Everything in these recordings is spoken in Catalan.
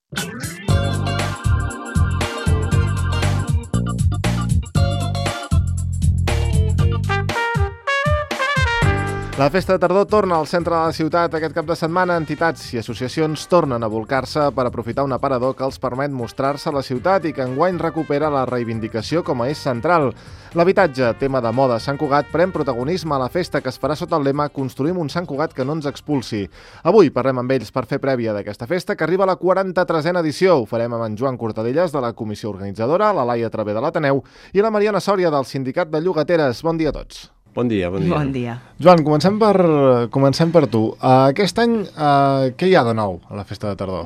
La festa de tardor torna al centre de la ciutat. Aquest cap de setmana, entitats i associacions tornen a volcar-se per aprofitar un aparador que els permet mostrar-se a la ciutat i que enguany recupera la reivindicació com a eix central. L'habitatge, tema de moda a Sant Cugat, pren protagonisme a la festa que es farà sota el lema «Construïm un Sant Cugat que no ens expulsi». Avui parlem amb ells per fer prèvia d'aquesta festa que arriba a la 43a edició. Ho farem amb en Joan Cortadellas, de la comissió organitzadora, la Laia Travé de l'Ateneu i la Mariana Sòria, del Sindicat de Llogateres. Bon dia a tots. Bon dia, bon dia. Bon dia. Joan, comencem per tu. Aquest any, què hi ha de nou a la festa de tardor?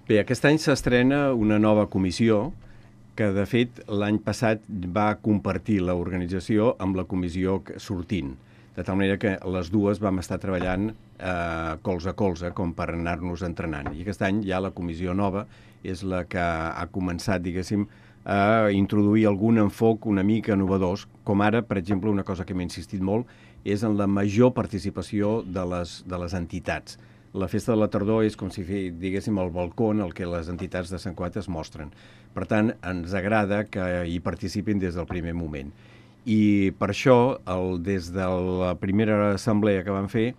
Bé, aquest any s'estrena una nova comissió que, de fet, l'any passat va compartir l'organització amb la comissió sortint, de tal manera que les dues vam estar treballant colze a colze com per anar-nos entrenant. I aquest any ja la comissió nova és la que ha començat, diguéssim, a introduir algun enfoc una mica innovadors, com ara, per exemple, una cosa que m'he insistit molt, és en la major participació de les entitats. La festa de la tardor és com si diguéssim el balcó en el que les entitats de Sant Cugat es mostren. Per tant, ens agrada que hi participin des del primer moment. I per això, des de la primera assemblea que vam fer,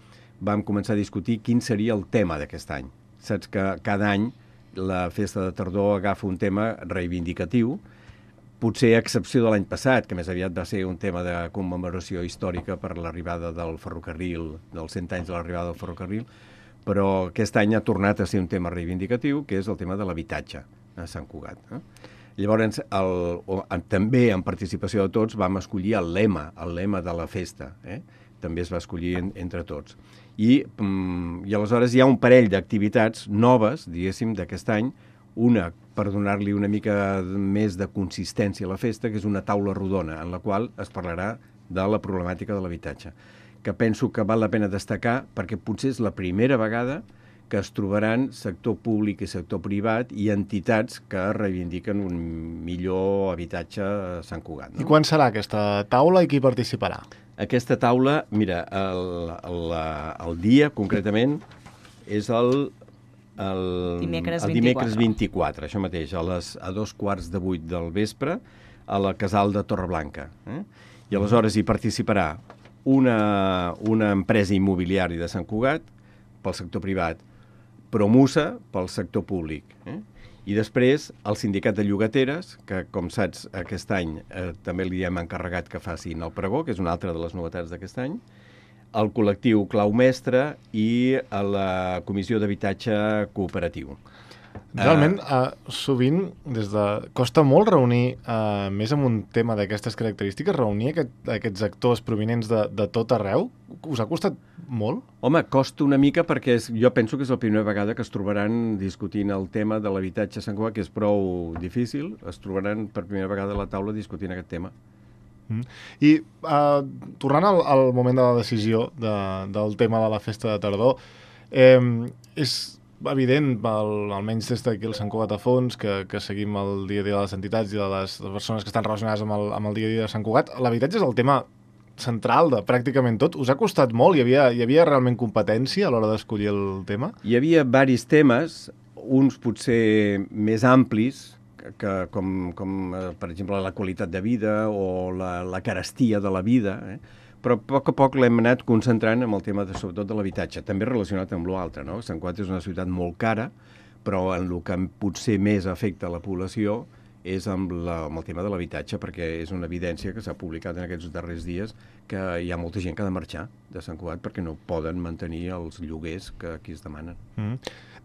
vam començar a discutir quin seria el tema d'aquest any. Saps que cada any la festa de tardor agafa un tema reivindicatiu, potser a excepció de l'any passat, que més aviat va ser un tema de commemoració històrica per l'arribada del ferrocarril, dels 100 anys de l'arribada del ferrocarril, però aquest any ha tornat a ser un tema reivindicatiu, que és el tema de l'habitatge a Sant Cugat. Llavors, també en participació de tots vam escollir el lema de la festa, també es va escollir entre tots. I aleshores hi ha un parell d'activitats noves, diguéssim, d'aquest any, una per donar-li una mica més de consistència a la festa, que és una taula rodona, en la qual es parlarà de la problemàtica de l'habitatge, que penso que val la pena destacar perquè potser és la primera vegada que es trobaran sector públic i sector privat i entitats que reivindiquen un millor habitatge a Sant Cugat. I quan serà aquesta taula i qui participarà? Aquesta taula, mira, el dia, concretament, és el dimecres 24, això mateix, a 2:15 del vespre, a la Casal de Torreblanca. I aleshores hi participarà una empresa immobiliària de Sant Cugat, pel sector privat, Promusa, pel sector públic. I després el Sindicat de Llogateres, que, com saps, aquest any també li hem encarregat que facin el pregó, que és una altra de les novetats d'aquest any, el col·lectiu Clau Mestre i la Comissió d'Habitatge Cooperatiu. Realment, sovint, costa molt reunir, més amb un tema d'aquestes característiques, reunir aquests actors provinents de tot arreu? Us ha costat molt? Home, costa una mica perquè jo penso que és la primera vegada que es trobaran discutint el tema de l'habitatge a Sant Cugat, que és prou difícil, es trobaran per primera vegada a la taula discutint aquest tema. I tornant al moment de la decisió del tema de la festa de tardor, és evident, almenys des d'aquí al Sant Cugat a fons, que seguim el dia a dia de les entitats i de les persones que estan relacionades amb el dia a dia de Sant Cugat, l'habitatge és el tema central de pràcticament tot. Us ha costat molt? Hi havia realment competència a l'hora d'escollir el tema? Hi havia varis temes, uns potser més amplis, com per exemple la qualitat de vida o la carestia de la vida, però a poc l'hem anat concentrant en el tema sobretot de l'habitatge, també relacionat amb l'altre, no? Sant Cugat és una ciutat molt cara, però en el que potser més afecta la població és amb el tema de l'habitatge, perquè és una evidència que s'ha publicat en aquests darrers dies que hi ha molta gent que ha de marxar de Sant Cugat perquè no poden mantenir els lloguers que aquí es demanen.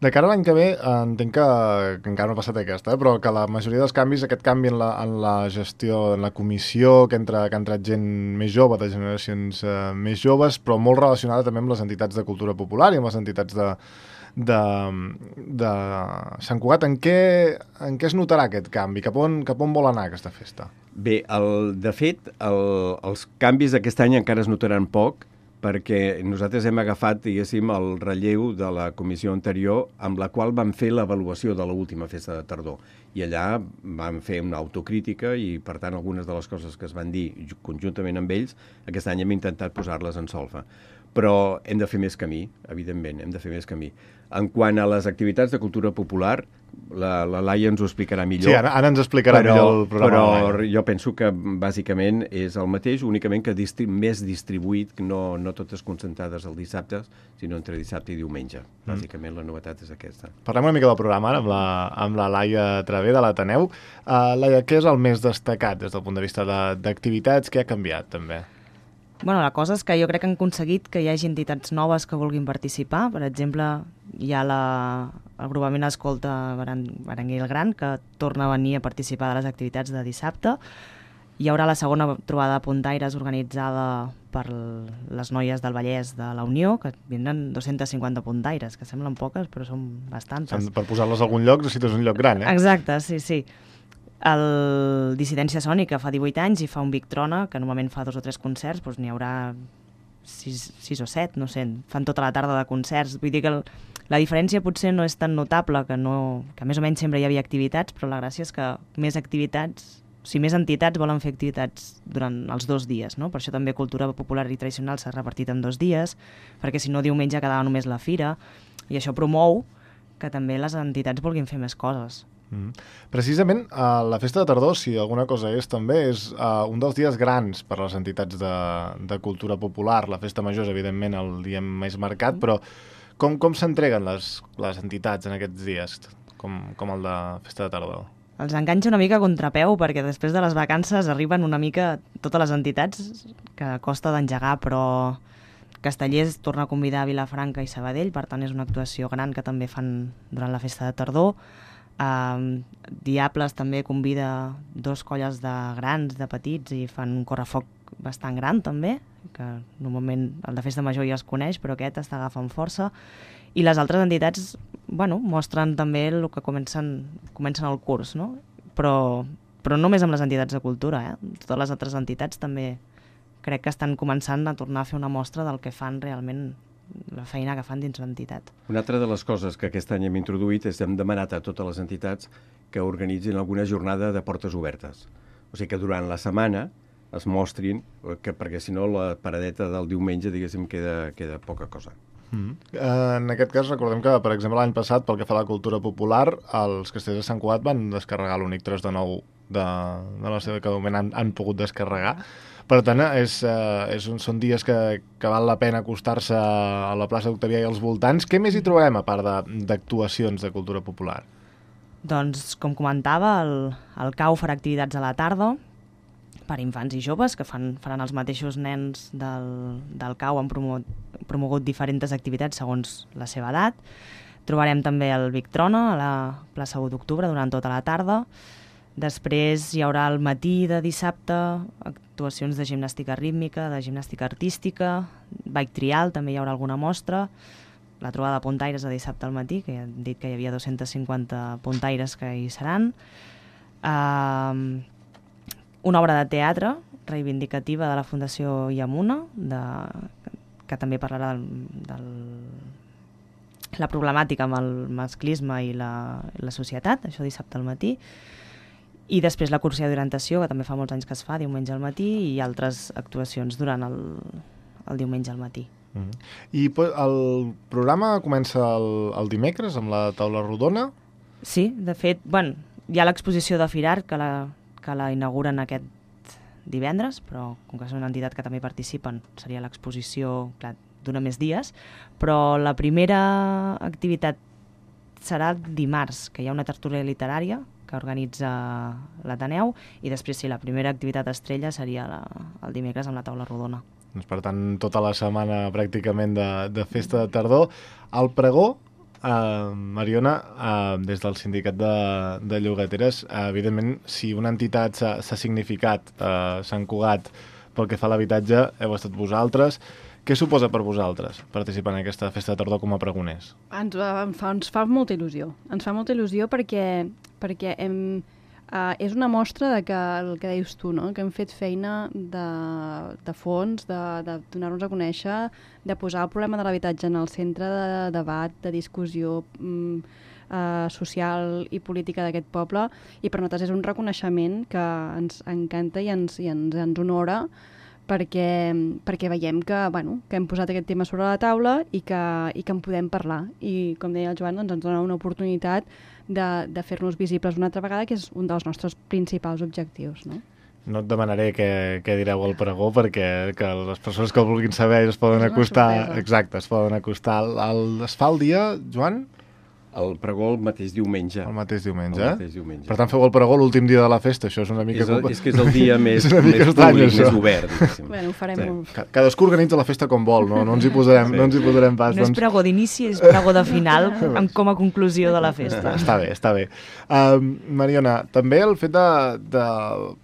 De cara a l'any que ve, entenc que encara no ha passat aquesta, però que la majoria dels canvis, aquest canvi en la gestió, en la comissió, que ha entrat gent més jove, de generacions més joves, però molt relacionada també amb les entitats de cultura popular i amb les entitats de Sant Cugat. En què es notarà aquest canvi? Cap on vol anar aquesta festa? Bé, de fet, els canvis d'aquest any encara es notaran poc, perquè nosaltres hem agafat, diguéssim, el relleu de la comissió anterior amb la qual vam fer l'avaluació de l'última festa de tardor. I allà vam fer una autocrítica i, per tant, algunes de les coses que es van dir conjuntament amb ells, aquest any hem intentat posar-les en solfa. Però hem de fer més camí, evidentment, hem de fer més camí. En quant a les activitats de cultura popular, la Laia ens ho explicarà millor. Sí, ara ens explicarà millor el programa. Però jo penso que bàsicament és el mateix, únicament que més distribuït, no totes concentrades el dissabte, sinó entre dissabte i diumenge. Bàsicament la novetat és aquesta. Parlem una mica del programa ara amb la Laia Traver de l'Ateneu. Laia, què és el més destacat des del punt de vista d'activitats? Què ha canviat també? Bueno, la cosa és que jo crec que han aconseguit que hi hagi entitats noves que vulguin participar. Per exemple, hi ha l'agrupament Escolta Berenguer el Gran, que torna a venir a participar de les activitats de dissabte. Hi haurà la segona trobada de puntaires organitzada per les noies del Vallès de la Unió, que vindran 250 puntaires, que semblen poques, però són bastantes. Per posar-les a algun lloc necessites un lloc gran, Exacte, sí. El Dissidència Sònica fa 18 anys i fa un Vic Trona, que normalment fa 2 o 3 concerts, doncs n'hi haurà 6 o 7, no sé, fan tota la tarda de concerts. Vull dir que la diferència potser no és tan notable, que més o menys sempre hi havia activitats, però la gràcia és que més entitats volen fer activitats durant els 2 dies, no? Per això també cultura popular i tradicional s'ha repartit en 2 dies, perquè si no diumenge quedava només la fira, i això promou que també les entitats vulguin fer més coses. Precisament, la Festa de Tardor, si alguna cosa és també, és un dels dies grans per a les entitats de cultura popular. La Festa Major és, evidentment, el dia més marcat, però com s'entreguen les entitats en aquests dies, com el de Festa de Tardor? Els enganxa una mica a contrapeu, perquè després de les vacances arriben una mica totes les entitats que costa d'engegar, però Castellers torna a convidar a Vilafranca i Sabadell, per tant és una actuació gran que també fan durant la Festa de Tardor. Diables també convida 2 colles de grans, de petits, i fan un correfoc bastant gran també, que normalment el de Festa Major ja es coneix, però aquest està agafant força. I les altres entitats, mostren també el que comencen el curs, no? Però no només amb les entitats de cultura, totes les altres entitats també crec que estan començant a tornar a fer una mostra del que fan realment, la feina que fan dins l'entitat. Una altra de les coses que aquest any hem introduït és que hem demanat a totes les entitats que organitzin alguna jornada de portes obertes. O sigui que durant la setmana es mostrin, perquè si no la paradeta del diumenge, diguéssim, queda poca cosa. En aquest cas recordem que, per exemple, l'any passat, pel que fa a la cultura popular, els castellers de Sant Cugat van descarregar l'únic 3 de 9 de la seva, que de moment han pogut descarregar. Per tant, són dies que val la pena acostar-se a la plaça d'Octavià i als voltants. Què més hi trobem, a part d'actuacions de cultura popular? Doncs, com comentava, el CAU farà activitats a la tarda per infants i joves, que faran els mateixos nens del CAU, han promogut diferents activitats segons la seva edat. Trobarem també el Vic Trona a la plaça 1 d'octubre durant tota la tarda. Després hi haurà al matí de dissabte actuacions de gimnàstica rítmica, de gimnàstica artística, bike trial, també hi haurà alguna mostra, la trobada de puntaires de dissabte al matí, que ja han dit que hi havia 250 puntaires que hi seran, una obra de teatre reivindicativa de la Fundació Yamuna, que també parlarà de la problemàtica amb el masclisme i la societat, això dissabte al matí. I després la cursa d'orientació, que també fa molts anys que es fa, diumenge al matí, i altres actuacions durant el diumenge al matí. I el programa comença el dimecres amb la taula rodona? Sí, de fet, hi ha l'exposició de Firar, que la inauguren aquest divendres, però com que és una entitat que també participen, seria l'exposició, clar, dura més dies, però la primera activitat serà dimarts, que hi ha una tertúlia literària que organitza l'Ateneu, i després la primera activitat estrella seria el dimecres amb la taula rodona. Doncs, per tant, tota la setmana pràcticament de Festa de Tardor. El pregó, Mariona, des del sindicat de llogateres, evidentment, si una entitat s'ha significat, Sant Cugat, pel que fa a l'habitatge, heu estat vosaltres. Què suposa per vosaltres participar en aquesta Festa de Tardor com a pregoners? Ens fa molta il·lusió. Ens fa molta il·lusió perquè és una mostra de que el que deies tu, no? Que hem fet feina de fons, de donar-nos a conèixer, de posar el problema de l'habitatge en el centre de debat, de discussió social i política d'aquest poble, i per nosaltres és un reconeixement que ens encanta i ens honora, perquè veiem que hem posat aquest tema sobre la taula i que en podem parlar. I, com deia el Joan, doncs ens dona una oportunitat de fer-nos visibles una altra vegada, que és un dels nostres principals objectius, no? No et demanaré què direu al pregó, perquè que les persones que el vulguin saber es poden acostar... Exacte, es poden acostar. Es fa el dia, Joan? El pregó el mateix diumenge. El mateix diumenge. El mateix diumenge. Per tant, feu el pregó l'últim dia de la festa, això és una mica... És que és el dia més estrany, públic, això. més obert, diguéssim. Bueno, ho farem molt. Cadascú organitza la festa com vol, no ens hi posarem pas. No és pregó d'inici, és pregó de final, com a conclusió de la festa. Està bé. Mariona, també el fet de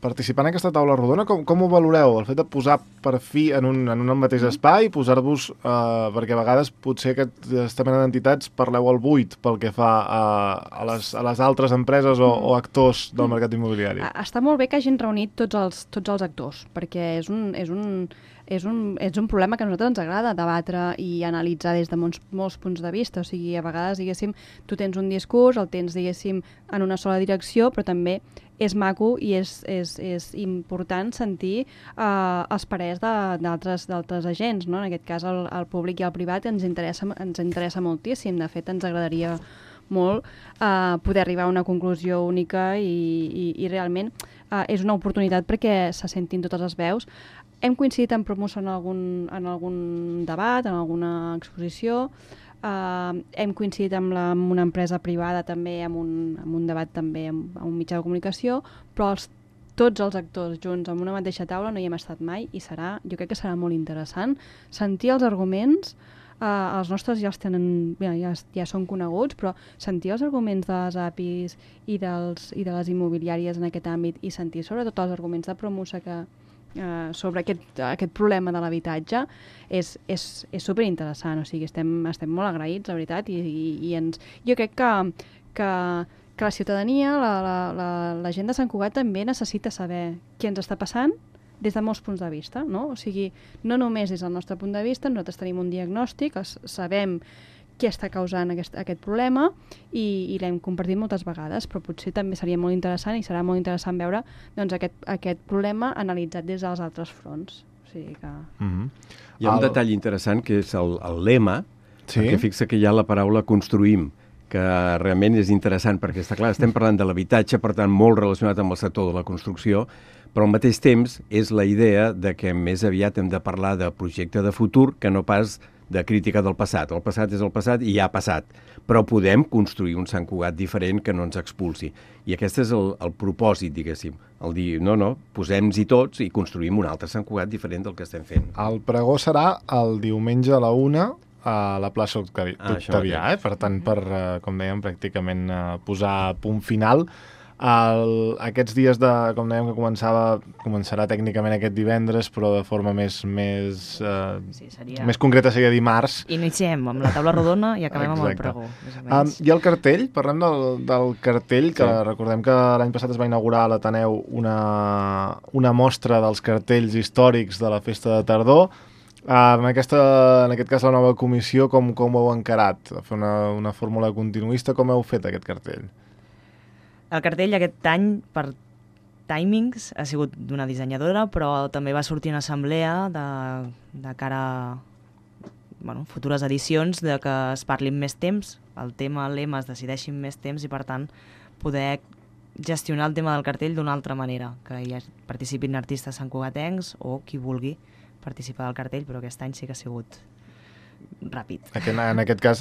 participar en aquesta taula rodona, com ho valoreu? El fet de posar per fi en un mateix espai, posar-vos, perquè a vegades potser aquesta mena d'entitats parleu al buit pel que fa a les altres empreses o actors del mercat immobiliari. Està molt bé que hagin reunit tots els actors, perquè és un problema que a nosaltres ens agrada debatre i analitzar des de molts punts de vista. O sigui, a vegades, diguéssim, tu tens un discurs, el tens, diguéssim, en una sola direcció, però també és maco i és important sentir els parers d'altres agents, no? En aquest cas, el públic i el privat ens interessa moltíssim. De fet, ens agradaria molt poder arribar a una conclusió única i realment és una oportunitat perquè se sentin totes les veus. Hem coincidit en promoció en algun debat, en alguna exposició, hem coincidit amb una empresa privada també, amb un debat també amb un mitjà de comunicació, però tots els actors junts en una mateixa taula no hi hem estat mai i jo crec que serà molt interessant sentir els arguments. Els nostres ja els tenen, ja són coneguts, però sentir els arguments de les APIs i de les immobiliàries en aquest àmbit i sentir sobretot els arguments de Promusa sobre aquest problema de l'habitatge és superinteressant. O sigui, estem molt agraïts, la veritat, i jo crec que la ciutadania, la gent de Sant Cugat també necessita saber què ens està passant des de molts punts de vista, no? O sigui, no només des del nostre punt de vista, nosaltres tenim un diagnòstic, sabem què està causant aquest problema i l'hem compartit moltes vegades, però potser també seria molt interessant i serà molt interessant veure doncs, aquest problema analitzat des dels altres fronts. O sigui que... Hi ha un detall interessant que és el lema, perquè fixa que hi ha la paraula construïm, que realment és interessant perquè està clar, estem parlant de l'habitatge, per tant molt relacionat amb el sector de la construcció, però al mateix temps és la idea de que més aviat hem de parlar de projecte de futur que no pas de crítica del passat. El passat és el passat i ja ha passat, però podem construir un Sant Cugat diferent que no ens expulsi. I aquest és el propòsit, diguéssim, el dir, no, posem-hi tots i construïm un altre Sant Cugat diferent del que estem fent. El pregó serà el diumenge a la 1 a la plaça Octavià, per tant, com dèiem, pràcticament posar punt final. Aquests dies, com dèiem, que començarà tècnicament aquest divendres, però de forma més concreta seria dimarts. Iniciem amb la taula rodona i acabem amb el pregó. I el cartell, parlem del cartell, que recordem que l'any passat es va inaugurar a l'Ateneu una mostra dels cartells històrics de la festa de tardor. En aquest cas, la nova comissió, com ho heu encarat? Fer una fórmula continuista, com heu fet aquest cartell? El cartell aquest any, per timings, ha sigut d'una dissenyadora, però també va sortir una assemblea de cara a futures edicions, de que es parli més temps, el lema es decideixi més temps i, per tant, poder gestionar el tema del cartell d'una altra manera, que hi participin artistes santcugatencs o qui vulgui participar del cartell, però aquest any sí que ha sigut ràpid. En aquest cas,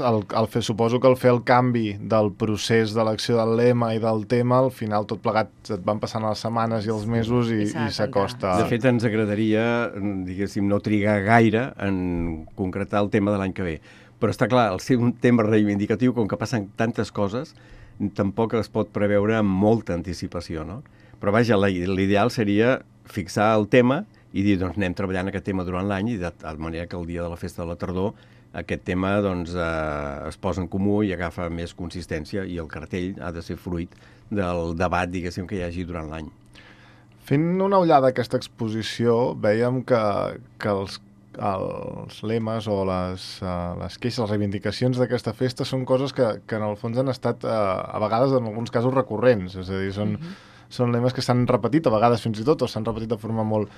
suposo que al fer el canvi del procés d'elecció del lema i del tema, al final tot plegat et van passant les setmanes i els mesos i s'acosta. De fet, ens agradaria, diguéssim, no trigar gaire en concretar el tema de l'any que ve. Però està clar, al ser un tema reivindicatiu, com que passen tantes coses, tampoc es pot preveure amb molta anticipació, no? Però vaja, l'ideal seria fixar el tema i dir, doncs, anem treballant aquest tema durant l'any i de manera que el dia de la festa de la tardor aquest tema doncs, es posa en comú i agafa més consistència i el cartell ha de ser fruit del debat, diguéssim, que hi hagi durant l'any. Fent una ullada a aquesta exposició, vèiem que els lemes o les queixes, les reivindicacions d'aquesta festa són coses que en el fons han estat a vegades en alguns casos recurrents, és a dir, són lemes que s'han repetit a vegades fins i tot o s'han repetit de forma molt...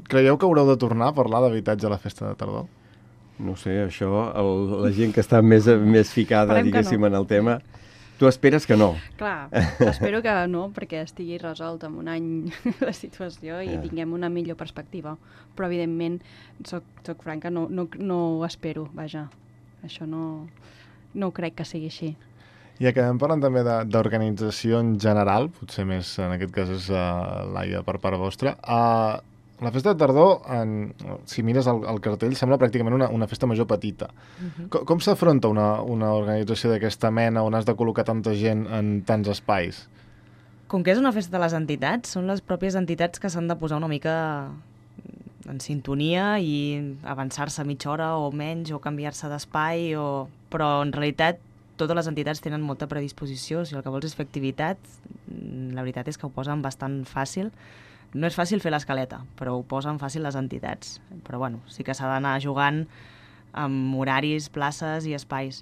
Creieu que haureu de tornar a parlar d'habitatge a la festa de tardor? No sé, això, la gent que està més ficada, Esperem que diguéssim, no. en el tema, tu esperes que no. Clar, espero que no, perquè estigui resolt en un any la situació i tinguem una millor perspectiva. Però, evidentment, soc franca, no ho espero, vaja. Això no crec que sigui així. I acabem parlant també d'organització en general, potser més en aquest cas és Laia per part vostra. La festa de tardor, si mires el cartell, sembla pràcticament una festa major petita. Com s'afronta una organització d'aquesta mena on has de col·locar tanta gent en tants espais? Com que és una festa de les entitats, són les pròpies entitats que s'han de posar una mica en sintonia i avançar-se mitja hora o menys o canviar-se d'espai, però en realitat totes les entitats tenen molta predisposició. Si el que vols és fer activitat, la veritat és que ho posen bastant fàcil. No és fàcil fer l'escaleta, però ho posen fàcil les entitats. Però bueno, sí que s'ha d'anar jugant amb horaris, places i espais.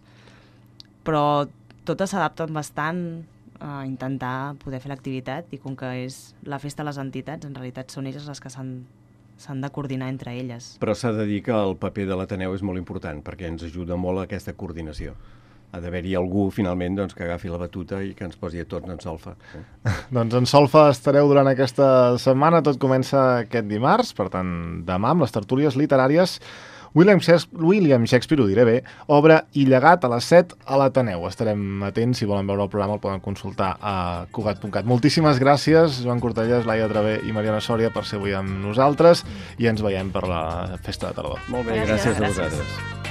Però totes s'adapten bastant a intentar poder fer l'activitat i com que és la festa de les entitats, en realitat són elles les que s'han de coordinar entre elles. Però s'ha de dir que el paper de l'Ateneu és molt important perquè ens ajuda molt a aquesta coordinació. Ha d'haver-hi algú, finalment, que agafi la batuta i que ens posi a tots en solfa. Doncs en solfa estareu durant aquesta setmana. Tot comença aquest dimarts, per tant, demà, amb les tertúlies literàries. William Shakespeare, ho diré bé, obra i llegat a les 7 a l'Ateneu. Estarem atents, si volen veure el programa el poden consultar a Cugat.cat. Moltíssimes gràcies, Joan Cortellàs, Laia Travé i Mariana Sòria, per ser avui amb nosaltres i ens veiem per la festa de tardor. Molt bé, gràcies a vosaltres.